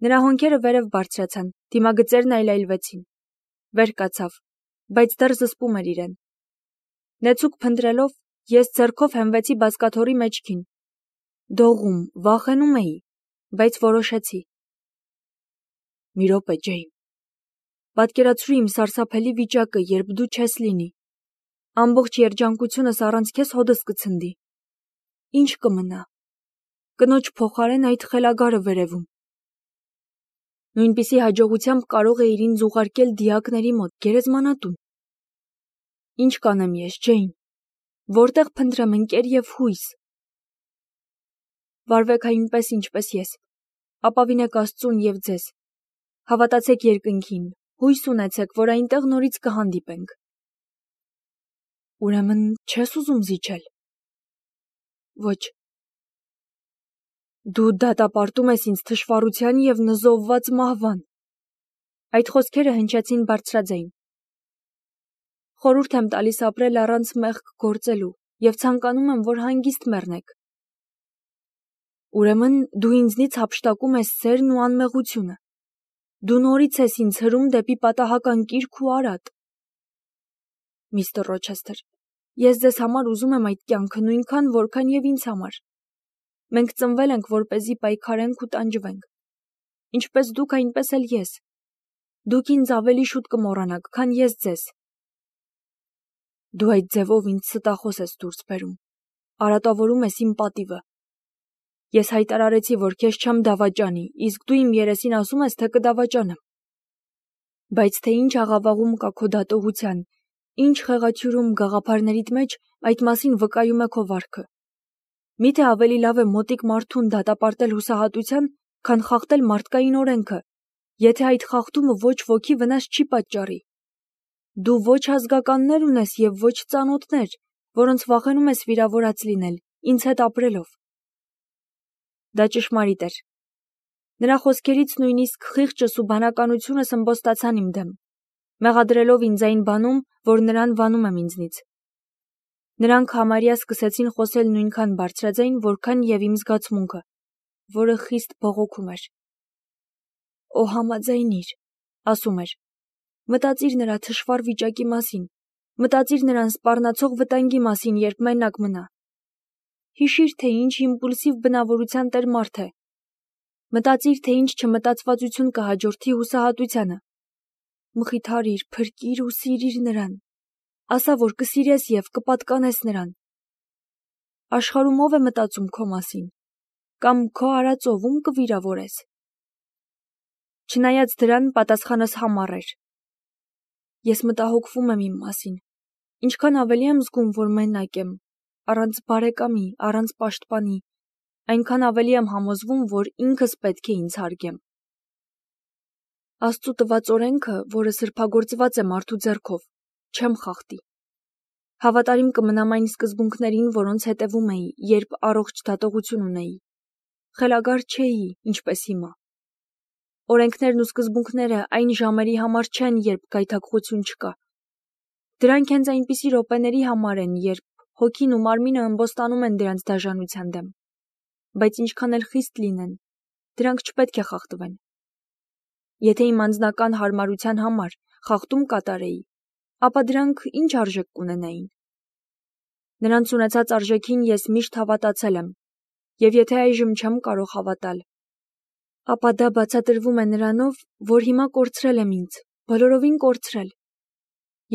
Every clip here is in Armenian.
Նրա հոնքերը վերև բարձրացան, դիմագծերն այլայլվեցին։ Վեր կացավ, բայց դեռ զսպում էր իրեն։ Նեցուկ փնտրելով, ես ձեռքով հենվեցի բազկաթոռի մեջքին։ Դողում, վախենում էի, բայց որոշեցի։ Մի րոպե, Ջեյն։ Պատկերացրու իմ սարսափելի վիճակը, երբ դու չես լինի։ Ամբողջ երջանկությունս առանց քեզ հոդս կցնդի։ Ինչ կմնա։ Կնոջ փոխարեն այդ խելագարը վերևում։ Նույնպիսի հաջողությամբ կարող էիր ինձ ուղարկել դիակների մոտ, գերեզմանատուն։ Ինչ կանեմ ես, Ջեյն։ Որտեղ փնտրեմ ընկեր և հույս։ Վարվեք այնպես, ինչպես ես։ Ապավինեք Աստծուն և ձեզ։ Հավատացեք երկնքին, հույս ունեցեք, որ այնտեղ նորից կհանդիպենք։ Ուրեմն չես ուզում զիջել։ Ոչ։ Դու դատապարտում ես ինձ թշվառության և նզովված մահվան։ Այդ խոսքերը հնչեցին բարձրաձայն։ Խորհուրդ եմ տալիս ապրել առանց մեղք գործելու և ցանկանում եմ, որ հանգիստ մեռնեք։ Ուրեմն դու ինձնից հափշտակում ես սերն ու անմեղությունը։ Դու նորից ես ինձ հրում դեպի պատահական կիրք ու արատ։ Միստր Ռոչեսթեր, ես ձեզ համար ուզում եմ այդ կյանքը նույնքան, որքան և ինձ համար։ Մենք ծնվել ենք, որպեսզի պայքարենք ու տանջվենք։ Ինչպես դուք, այնպես էլ ես։ Դուք ինձ ավելի շուտ կմոռանաք, քան ես ձեզ։ Դու այդ ձևով ինձ ստախոս ես դուրս բերում։ Արատավորում ես իմ պատիվը։ Ես հայտարարեցի, որ քեզ չեմ դավաճանի, իսկ դու իմ երեսին ասում ես, թե կդավաճանեմ։ Բայց թե ինչ աղավաղում կա քո դատողության, ինչ խեղաթյուրում գաղափարներիդ մեջ, այդ մասին վկայում է քո վարքը։ Միթե ավելի լավ է մոտիկ մարդուն դատապարտել հուսահատության, քան խախտել մարդկային օրենքը, եթե այդ խախտումը ոչ ոքի վնաս չի պատճառի։ Դու ոչ ազգականներ ունես և ոչ ծանոթներ, որոնց վախենում ես վիրավորած լինել, ինձ հետ ապրելով։ Դա ճշմարիտ էր։ Նրա խոսքերից նույնիսկ խիղճս ու բանականությունս ըմբոստացան իմ դեմ, մեղադրելով ինձ այն բանում, որ նրան վանում եմ ինձնից։ Նրանք համարյա սկսեցին խոսել նույնքան բարձրաձայն, որքան և իմ զգացմունքը, որը խիստ բողոքում էր։ Օ, համաձայնիր, ասում էր, մտածիր նրա թշվառ վիճակի մասին, մտածիր նրան սպառնացող վտանգի մասին, երբ մենակ մնա։ Հիշիր, թե ինչ իմպուլսիվ բնավորության տեր մարդ է։ Մտածիր, թե ինչ չմտածվածություն կհաջորդի հուսահատությանը։ Մխիթարիր, փրկիր ու սիրիր նրան։ Ասա, որ կսիրես և կպատկանես նրան։ Աշխարհում ով է մտածում քո մասին, կամ քո արածով ում կվիրավորես։ Չնայած դրան պատասխանս համառ էր։ Ես մտահոգվում եմ իմ մասին, ինչքան ավելի եմ զգում, որ մենակ եմ, առանց բարեկամի, առանց պաշտպանի, այնքան ավելի եմ համոզվում, որ ինքս պետք է ինձ հարգեմ։ Աստծու տված օրենքը, որը սրբագործված է մարդու ձեռքով, չեմ խախտի։ Հավատարիմ կմնամ այն սկզբունքներին, որոնց հետևում էի, երբ առողջ դատողություն ունեի։ Խելագար չէի, ինչպես հիմա։ Օրենքներն ու սկզբունքները այն ժամերի համար չեն, երբ գայթակղություն չկա։ Դրանք հենց այնպիսի րոպեների համար են, երբ հոգին ու մարմինը ըմբոստանում են դրանց դաժանության դեմ։ Բայց ինչքան էլ խիստ լինեն, դրանք չպետք է խախտվեն։ Եթե իմ անձնական հարմարության համար խախտում կատարեի, ապա դրանք ինչ արժեք կունենային։ Նրանց ունեցած արժեքին ես միշտ հավատացել եմ, և եթե այժմ չեմ կարող հավատալ, ապա դա բացատրվում է նրանով, որ հիմա կորցրել եմ ինձ, բոլորովին կորցրել։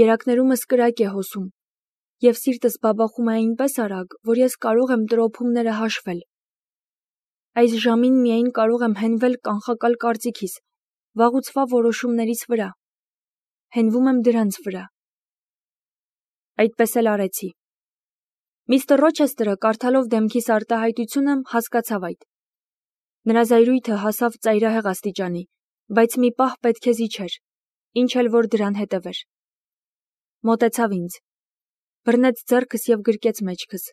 Երակներումս կրակ է հոսում, և սիրտս բաբախում է այնպես արագ, որ ես կարող եմ տրոփումները հաշվել։ Այս ժամին միայն կարող եմ հենվել կանխակալ կարծիքիս, վաղուցվա որոշումներիս վրա։ Հենվում եմ դրանց վրա։ Այդպես էլ արեցի։ Միստր Ռոչեսթերը, կարդալով դեմքիս արտահայտությունը, հասկացավ այդ։ Նրա զայրույթը հասավ ծայրահեղ աստիճանի, բայց մի պահ պետք է զիջեր, ինչ էլ որ դրան հետևեր։ Մոտեցավ ինձ, բռնեց ձեռքս և գրկեց մեջքս։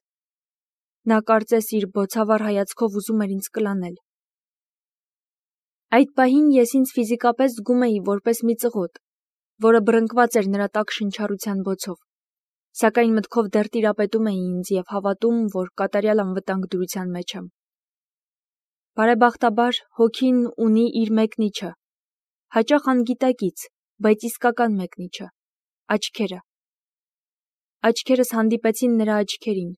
Նա կարծես իր բոցավառ հայացքով ուզում էր ինձ կլանել։ Այդ պահին ես ինձ ֆիզիկապես զգում էի որպես մի ծղոտ, որը բռնկված էր նրա տաք շնչառության բոցով, սակայն մտքով դեռ տիրապետում էի ինձ և հավատում, որ կատարյալ անվտանգ դրության մեջ եմ։ Բարեբախտաբար հոգին ունի իր մեկնիչը, հաճախ անգիտակից, բայց իսկական մեկնիչը, աչքերը։ Աչքերս հանդիպեցին նրա աչքերին,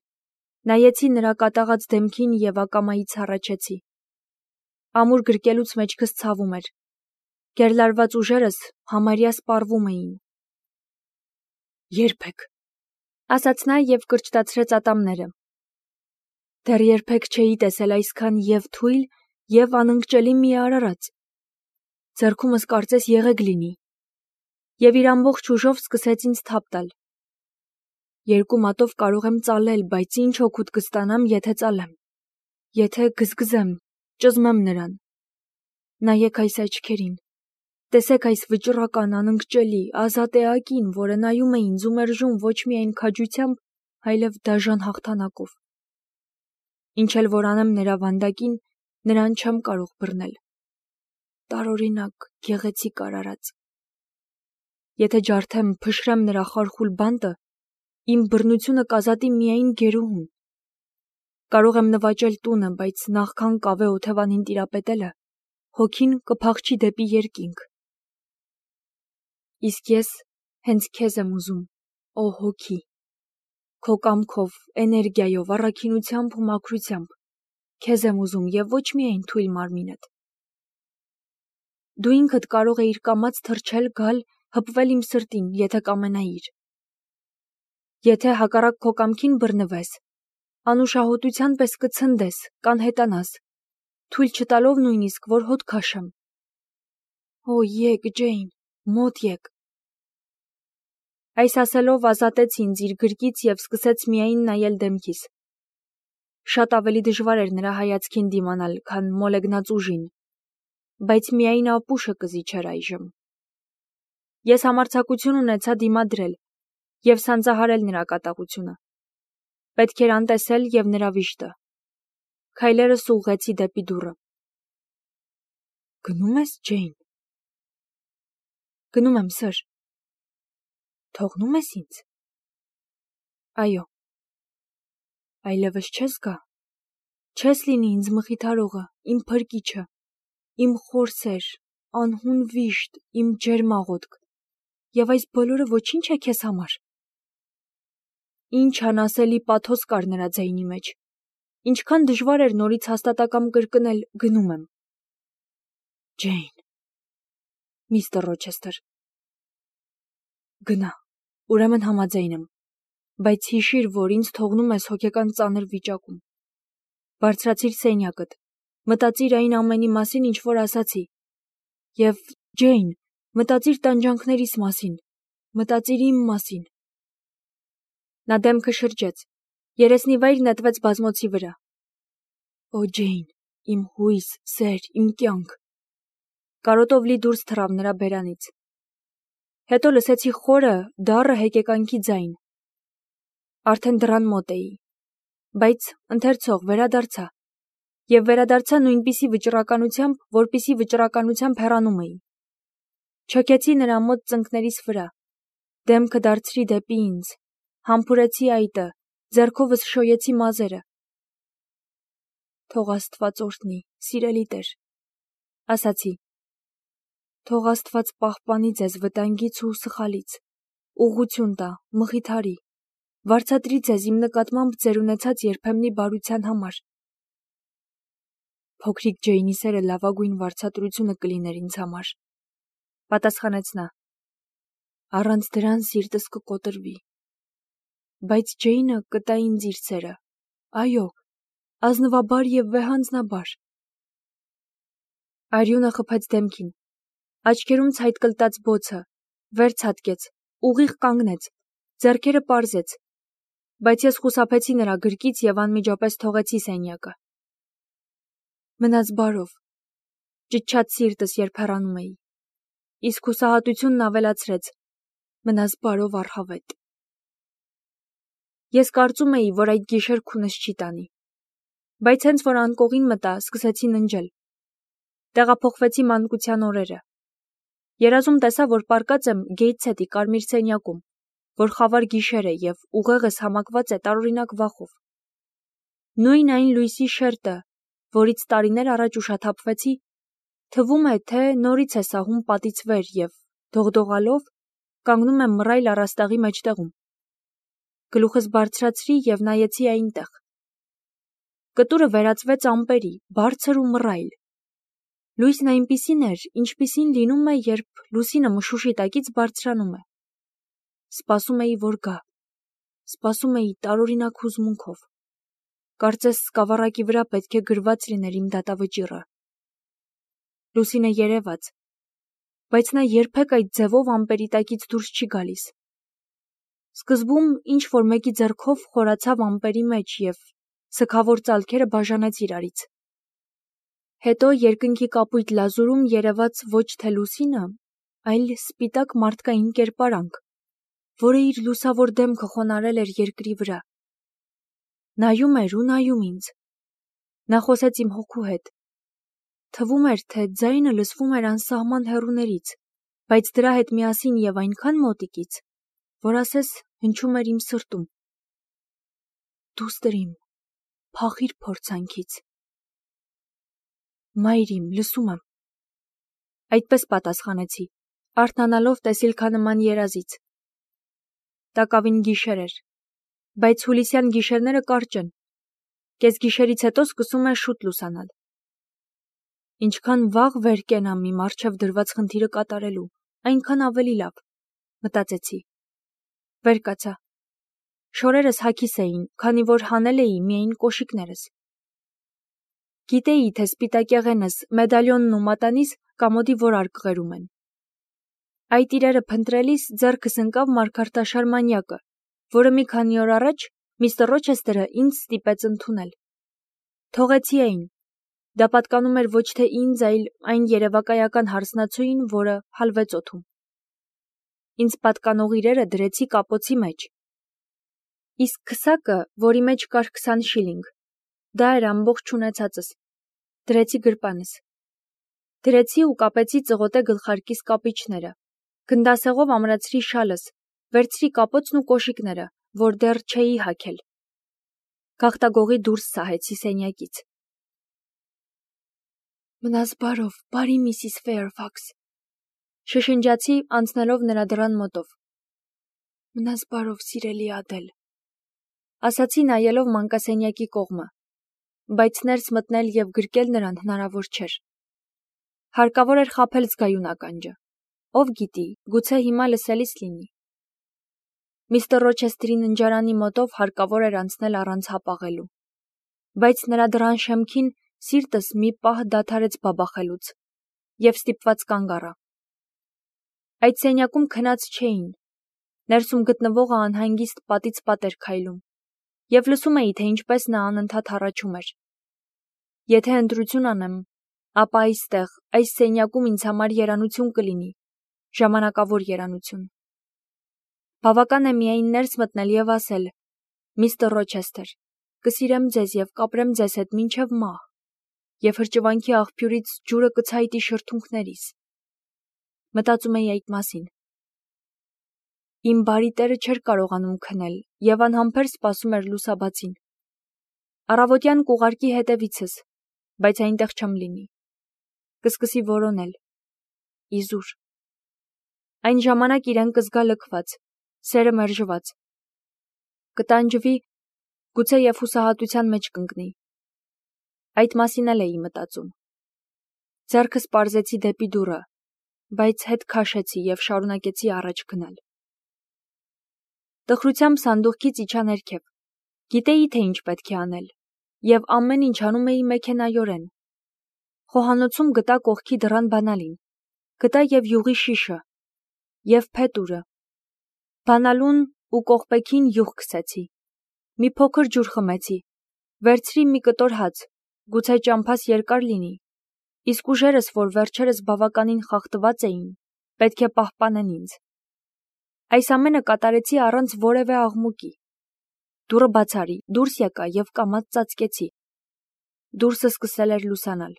նայեցի նրա կատաղած դեմքին և ակամայից հառաչեցի։ Ամուր գրկելուց մեջքս ցավում էր, գերլարված ուժերս համարյա սպառվում էին։ Երբեք, ասաց նա և կրճտացրեց ատամները։ Դեռ երբեք չէի տեսել այսքան և թույլ, և անընկճելի մի արարած։ Ձեռքումս կարծես եղեգ լինի։ Եվ իր ամբողջ ուժով սկսեց ինձ թափ տալ։ Երկու մատով կարող եմ ծալել, բայց ինչ օգուտ կստանամ, եթե ծալեմ, եթե գզգզեմ, ճզմեմ նրան։ Նայեք այս աչքերին, տեսեք այս վճռական, անընկճելի, ազատ էակին, որը նայում է ինձ ու մերժում ոչ միայն քաջությամբ, այլև դաժան հաղթանակով։ Ինչ էլ որ անեմ նրա վանդակին, նրան չեմ կարող բռնել։ Տարօրինակ, գեղեցիկ արարած։ Եթե ջարդեմ, փշրեմ նրա խարխուլ բանտը, իմ բռնությունը կազատի միայն գերուհուն։ Կարող եմ նվաճել տունը, բայց նախքան կավե օթևանին տիրապետելը, հոգին կփախչի դեպի երկինք։ Իսկ ես հենց քեզ եմ ուզում, ո հոգի, քո կամքով, էներգիայով, առաքինությամբ ու մաքրությամբ, քեզ եմ ուզում և ոչ միայն թույլ մարմինդ։ Դու ինքդ կարող էիր կամաց թռչել, գալ, հպվել իմ սրտին, եթե կամենայիր։ Եթե հակառակ քո կամքին բռնվես, անուշահոտության պես կցնդես, կանհետանաս, թույլ չտալով նույնիսկ, որ հոտ քաշեմ։ Օ, եկ, Ջեյն, մոտ եկ։ Այս ասելով ազատեց ինձ իր գրկից և սկսեց միայն նայել դեմքիս։ Շատ ավելի դժվար էր նրա հայացքին դիմանալ, քան մոլեգնած ուժին, բայց միայն ապուշը կզիջեր այժմ։ Ես համարձակություն ունեցա դիմադրել և սանձահարել նրա կատաղությունը։ Պետք էր անտեսել և նրա վիշտը։ Քայլերս ուղղեցի դեպի դուռը։ Գնում ես, Ջեյն։ Գնում եմ, սըր։ Թողնում ես ինձ։ Այո։ Այլևս չես գա։ Չես լինի ինձ մխիթարողը, իմ փրկիչը, իմ խորսեր, անհուն վիշտ, իմ ջերմ աղոթք։ Եվ այս բոլորը ոչինչ է քեզ համար։ Ինչ անասելի պաթոս կար նրա ձայնի մեջ։ Ինչքան դժվար էր նորից հաստատակամ կրկնել գնում եմ։ Ջեյն։ Միստր Ռոչեսթեր։ Գնա, ուրեմն համաձայն եմ, բայց հիշիր, որ ինձ թողնում ես հոգեկան ծանր վիճակում։ Բարձրացիր սենյակդ, մտածիր այն ամենի մասին, ինչ որ ասացի։ Եվ, Ջեյն, մտածիր տանջանքներիս մասին, մտածիր իմ մասին։ Նա դեմքը շրջեց, երեսնիվայր նետվեց բազմոցի վրա։ Օ, Ջեյն, իմ հույս, սեր, իմ կյանք։ Կարոտով լի դուրս թռավ նրա բերանից։ Հետո լսեցի խորը, դառը հեկեկանքի ձայն։ Արդեն դռան մոտ էի, բայց ընթերցող վերադարձա, և վերադարձա նույնպիսի վճռականությամբ, որպիսի վճռականությամբ հեռանում էի։ Չոքեցի նրա մոտ ծնկներիս վրա, դեմքը դարձրի դեպի ինձ, համբուրեցի այտը, ձեռքովս շոյեցի մազերը։ Թող Աստված օրհնի, սիրելի Տեր, ասացի։ Թող Աստված պահպանի ձեզ վտանգից ու սխալից, ուղղություն տա, մխիթարի, վարձատրի ձեզ իմ նկատմամբ ձեր ունեցած երբեմնի բարության համար։ Փոքրիկ Ջեյնի սերը լավագույն վարձատրությունը կլիներ ինձ համար, պատասխանեց նա։ Առանց դրան սիրտս կկոտրվի։ Բայց Ջեյնը կտա ինձ իր սերը, այո, ազնվաբար և վեհանձնաբար։ Արյունը խփեց դեմքին, աչքերում ցայտկլտաց բոցը, վեր ցատկեց, ուղիղ կանգնեց, ձեռքերը պարզեց, բայց ես խուսափեցի նրա գրկից և անմիջապես թողեցի սենյակը։ Մնաս բարով, ճչաց սիրտս, երբ հեռանում էի, իսկ հուսահատությունն ավելացրեց. մնաս բարով առհավետ։ Ես կարծում էի, որ այդ գիշեր քունս չի տանի, բայց հենց որ անկողին մտա, սկսեցի ննջել։ Տեղափոխվեցի մանկության օրերը։ Երազում տեսա, որ պառկած եմ Գեյթսհեթի կարմիր սենյակում, որ խավար գիշեր է և ուղեղս համակված է տարօրինակ վախով։ Նույն այն լույսի շերտը, որից տարիներ առաջ ուշաթափվեցի, թվում է, թե նորից է սահում պատից վեր և, դողդողալով, կանգնում եմ մռայլ առաստաղի մեջտեղում։ Գլուխս բարձրացրի և նայեցի այնտեղ։ Կտուրը վերածվեց ամպերի, բարձր ու մռայլ։ Լույսն այնպիսին էր, ինչպիսին լինում է, երբ լուսինը մշուշի տակից բարձրանում է։ Սպասում էի, որ գա։ Սպասում էի տարօրինակ հուզմունքով։ Կարծես սկավառակի վրա պետք է գրված լիներ իմ դատավճիռը։ Լուսինը երևաց, բայց նա երբեք այդ ձևով ամպերի տակից դուրս չի գալիս։ Սկզբում ինչ-որ մեկի ձեռքով խորացավ ամպերի մեջ և սգավոր ծալքերը բաժանեց իրարից։ Հետո երկնքի կապույտ լազուրում երևաց ոչ թե լուսինը, այլ սպիտակ մարդկային կերպարանք, որը իր լուսավոր դեմքը խոնարհել էր երկրի վրա։ Նայում էր ու նայում ինձ։ Նա խոսեց իմ հոգու հետ։ Թվում էր, թե ձայնը լսվում էր անսահման հեռուներից, բայց դրա հետ միասին և այնքան մոտիկից, որ ասես հնչում էր իմ սրտում. «Դուստր իմ, փախիր փորձանքից»։ Մայր իմ, լսում եմ։ Այդպես պատասխանեցի, արթնանալով տեսիլքանման երազից։ Տակավին գիշեր էր, բայց հուլիսյան գիշերները կարճ են։ Կեսգիշերից հետո սկսում է շուտ լուսանալ։ Ինչքան վաղ վեր կենամ իմ առջև դրված խնդիրը կատարելու, այնքան ավելի լավ, մտածեցի։ Վեր կացա։ Շորերս հագիս էին, քանի որ հանել էի միայն կոշիկներս։ Գիտեի, թե սպիտակեղենս, մեդալյոնն ու մատանիս կամոդի որ արկղերում են։ Այդ իրերը փնտրելիս ձեռքս ընկավ մարգարտաշար մանյակը, որը մի քանի օր առաջ միստր Ռոչեսթերը ինձ ստիպեց ընդունել։ Թողեցի այն։ Դա պատկանում էր ոչ թե ինձ, այլ այն երևակայական հարսնացուին, որը հալվեց օդում։ Ինձ պատկանող իրերը դրեցի կապոցի մեջ։ Իսկ քսակը, որի մեջ կար 20 շիլինգ, դա էր ամբողջ ունեցածս։ Դրեցի գրպանս։ Դրեցի ու կապեցի ծղոտե գլխարկիս կապիչները։ Գնդասեղով ամրացրի շալս, վերցրի կապոցն ու կոշիկները, որ դեռ չէի հագել։ Գաղտագողի դուրս սահեցի սենյակից։ Մնաս բարով, բարի Միսիս Ֆեյրֆաքս, շշնջացի, անցնելով նրա դռան մոտով։ Մնաս բարով, սիրելի Ադել, ասացի նայելով մանկասենյակի կողմը, բայց ներս մտնել և գրկել նրան հնարավոր չէր։ Հարկավոր էր խաբել զգայուն ականջը։ Ով գիտի, գուցե հիմա լսելիս լինի։ Միստր Ռոչեսթերի ննջարանի մոտով հարկավոր էր անցնել առանց հապաղելու։ Բայց նրա դռան շեմքին սիրտս մի պահ դադարեց բաբախելուց և ստիպված կանգ առա։ Այդ սենյակում քնած չէին։ Ներսում գտնվողը անհանգիստ պատից պատ էր քայլում և լսում էի, թե ինչպես նա անընդհատ հառաչում էր։ Եթե ընտրություն անեմ, ապա այստեղ, այս սենյակում ինձ համար երանություն կլինի, ժամանակավոր երանություն։ Բավական է միայն ներս մտնել և ասել. «Միստր Ռոչեսթեր, կսիրեմ ձեզ և կապրեմ ձեզ հետ մինչև մահ», և հրճվանքի աղբյուրից ջուրը կցայտի շրթունքներիս։ Մտածում էի այդ մասին։ Իմ բարի տերը չէր կարողանում քնել և անհամբեր սպասում էր լուսաբացին։ Առավոտյան կուղարկի հետևիցս, բայց այնտեղ չեմ լինի։ Կսկսի որոնել։ Իզուր։ Այն ժամանակ իրեն կզգա լքված, սերը մերժված։ Կտանջվի, գուցե և հուսահատության մեջ կընկնի։ Այդ մասին էլ էի մտածում։ Ձեռքս պարզեցի դեպի դուռը, բայց հետ քաշեցի և շարունակեցի առաջ գնալ։ Տխրությամբ սանդուղքից իջա ներքև։ Գիտեի, թե ինչ պետք է անել, և ամեն ինչ անում էի մեքենայորեն։ Խոհանոցում գտա կողքի դռան բանալին, գտա և յուղի շիշը, և փետուրը։ Բանալուն ու կողպեքին յուղ քսեցի։ Մի փոքր ջուր խմեցի, վերցրի մի կտոր հաց, գուցե ճամփաս երկար լինի, իսկ ուժերս, որ վերջերս բավականին խախտված էին, պետք է պահպանեն ինձ։ Այս ամենը կատարեցի առանց որևէ աղմուկի։ Դուռը բաց արի, դուրս եկա և կամաց ծածկեցի։ Դուրսը սկսել էր լուսանալ։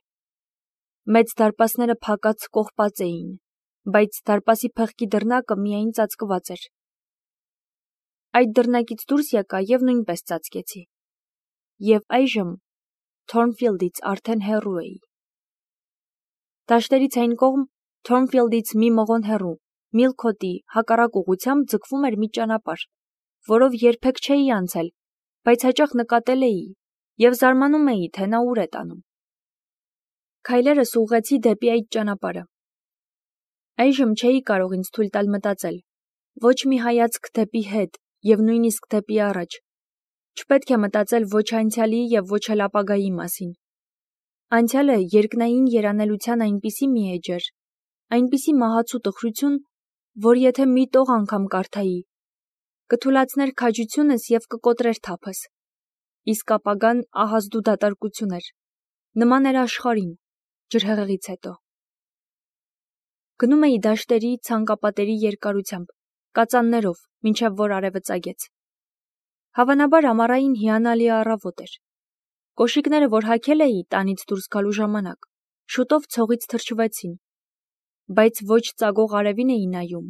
Մեծ դարպասները փակած կողպած էին, բայց դարպասի փեղկի դռնակը միայն ծածկված էր։ Այդ դռնակից դուրս եկա և նույնպես ծածկեցի։ Եվ այժմ Թորնֆիլդից արդեն հեռու էի։ Դաշտերից այն կողմ Թորնֆիլդից մի մղոն հեռու, Միլքոթի հակառակ ուղղությամբ ձգվում էր մի ճանապարհ, որով երբեք չէի անցել, բայց հաճախ նկատել էի և զարմանում էի, թե նա ուր է տանում։ Քայլերս ուղղեցի դեպի այդ ճանապարհը։ Այժմ չէի կարող ինձ թույլ տալ մտածել, ոչ մի հայացք դեպի հետ և նույնիսկ դեպի առաջ։ Չպետք է մտածել ոչ անցյալի և ոչ էլ ապագայի մասին։ Անցյալը երկնային երանելության այնպիսի մի էջ էր, այնպիսի մահացու տխրություն, որ եթե մի տող անգամ կարդայի, կթուլացներ քաջությունս և կկոտրեր թափս։ Իսկ ապագան ահազդու դատարկություն էր, նման էր աշխարհին, ջրհեղեղից հետո։ Գնում էի դաշտերի ցանկապատերի երկարությամբ, կածաններով, մինչև որ արևը ծագեց։ Հավանաբար ամառային հիանալի առավոտ էր։ Կոշիկները, որ հագել էի տանից դուրս գալու ժամանակ, շուտով ցողից թրջվեցին, բայց ոչ ծագող արևին էի նայում,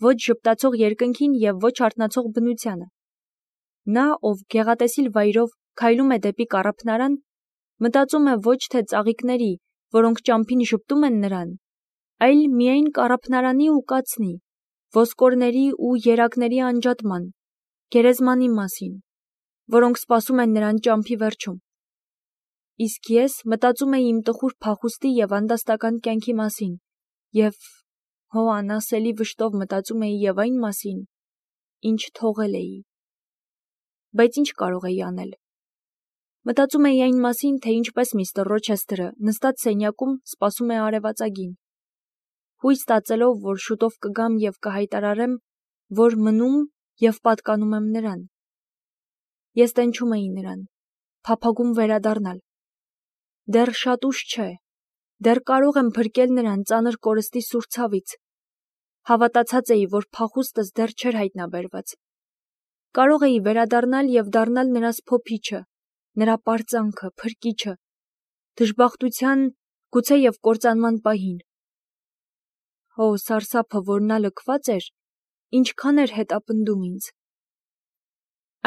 ոչ ժպտացող երկնքին և ոչ արթնացող բնությանը։ Նա, ով գեղատեսիլ վայրով քայլում է դեպի կառափնարան, մտածում է ոչ թե ծաղիկների, որոնք ճամփին ժպտում են նրան, այլ միայն կառափնարանի ու կացնի, ոսկորների ու երակների անջատման, գերեզմանի մասին, որոնք սպասում են նրան ճամփի վերջում։ Իսկ ես մտածում էի իմ տխուր փախուստի և անդաստական կյանքի մասին և անասելի վշտով մտածում էի և այն մասին, ինչ թողել էի։ Բայց ինչ կարող էի անել։ Մտածում էի այն մասին, թե ինչպես միստր Ռոչեսթերը նստած սենյակում սպասում է արևածագին, հույս տածելով, որ շուտով կգամ և կհայտարարեմ, որ մնում և պատկանում եմ նրան։ Ես տենչում էի նրան, փափագում վերադառնալ։ Դեռ շատ ուշ չէ, դեռ կարող եմ փրկել նրան ծանր կորստի սուր ցավից։ Հավատացած էի, որ փախուստս դեռ չէր հայտնաբերված։ Կարող էի վերադառնալ և դառնալ նրա սփոփիչը, նրա պարծանքը, փրկիչը, դժբախտության, գուցե և կործանման պահին։ Սարսափը, որ նա լքված էր, ինչքան էր հետապնդում ինձ։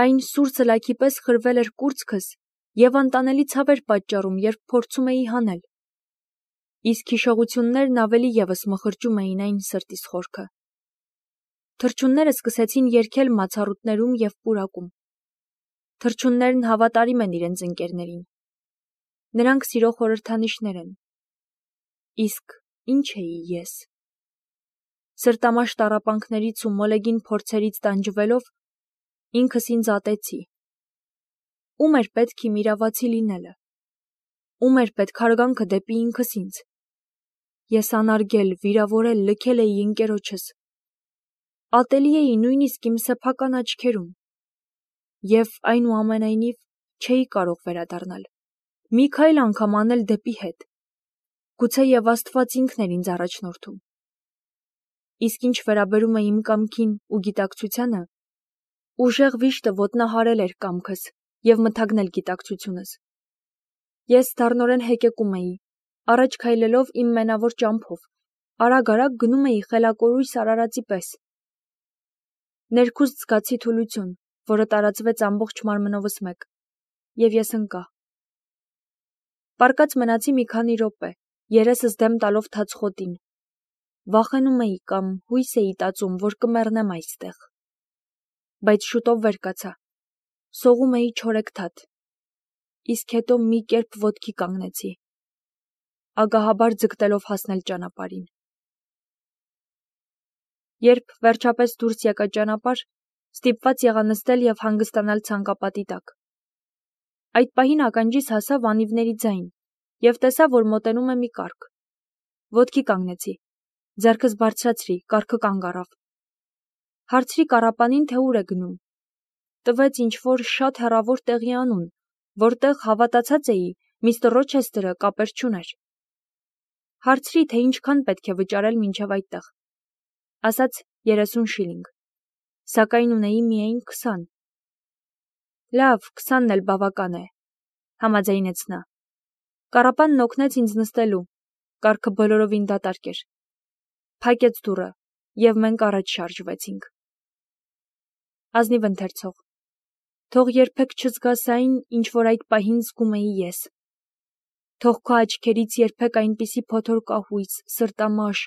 Այն սուր սլաքի պես խրվել էր կուրծքս և անտանելի ցավ էր պատճառում, երբ փորձում էի հանել։ Իսկ հիշողություններն ավելի ևս մխրճում էին այն սրտիս խորքը։ Թռչունները սկսեցին երգել մացառուտներում և պուրակում։ Թռչուններն հավատարիմ են իրենց ընկերներին։ Նրանք սիրո խորհրդանիշներ են։ Իսկ ի՞նչ էի ես։ Սրտամաշ տառապանքներից ու մոլեգին փորձերից տանջվելով, ինքս ինձ ատեցի։ Ո՞ւմ էր պետք իմ իրավացի լինելը։ Ո՞ւմ էր պետք հարգանքը դեպի ինքս ինձ։ Ես անարգել, վիրավորել, լքել էի ընկերոջս։ Ատելի էի նույնիսկ իմ սեփական աչքերում։ Եվ այնուամենայնիվ չէի կարող վերադառնալ։ Մի քայլ անգամ անել դեպի հետ։ Գուցե և Աստված ինքն էր ինձ առաջնորդում։ Իսկ ինչ վերաբերում է իմ կամքին ու գիտակցությանը, ուժեղ վիշտը ոտնահարել էր կամքս և մթագնել գիտակցությունս։ Ես դառնորեն հեկեկում էի, առաջ քայլելով իմ մենավոր ճամփով, արագ-արագ գնում էի խելակորույս արարածի պես։ Ներքուստ զգացի թուլություն, որը տարածվեց ամբողջ մարմնովս մեկ, և ես ընկա։ Պառկած մնացի մի քանի րոպե, երեսս դեմ տալով թաց խոտին։ Վախենում էի կամ հույս էի տածում, որ կմեռնեմ այստեղ։ Բայց շուտով վեր կացա։ Սողում էի չորեքթաթ։ Իսկ հետո մի կերպ ոտքի կանգնեցի, ագահաբար ձգտելով հասնել ճանապարհին։ Երբ վերջապես դուրս եկա ճանապարհ, ստիպված եղա նստել և հանգստանալ ցանկապատի տակ։ Այդ պահին ականջիս հասավ անիվների ձայն և տեսա, որ մոտենում է մի կառք։ Ոտքի կանգնեցի, ձեռքս բարձրացրի, կառքը կանգ առավ։ Հարցրի կառապանին, թե ուր է գնում։ Տվեց ինչ-որ շատ հեռավոր տեղի անուն, որտեղ, հավատացած էի, միստր Ռոչեսթերը կապեր չուներ։ Հարցրի, թե ինչքան պետք է վճարել մինչև այդտեղ։ Ասաց 30 շիլինգ, սակայն ունեի միայն 20։ Լավ, 20-ն էլ բավական է, համաձայնեց նա։ Կառապանն օգնեց ինձ նստելու, կառքը բոլորովին դատարկ էր։ Փակեց դուռը, և մենք առաջ շարժվեցինք։ Ազնիվ ընթերցող, թող երբեք չզգաս այն, ինչ որ այդ պահին զգում էի ես։ Թող քո աչքերից երբեք այնպիսի փոթոր կահույց, սրտամաշ,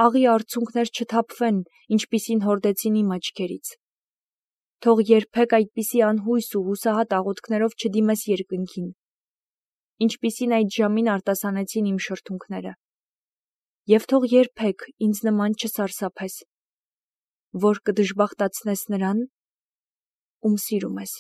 աղի արցունքներ չթափվեն, ինչպիսին հորդեցին իմ աչքերից։ Թող երբեք այդպիսի անհույս ու հուսահատ աղոթքներով չդիմես երկնքին, ինչպիսին այդ ժամին արտասանեցին իմ շրթունքները։ Եվ թող երբեք ինձ նման չսարսափես, որ կդժբախտացնես նրան, ում սիրում ես։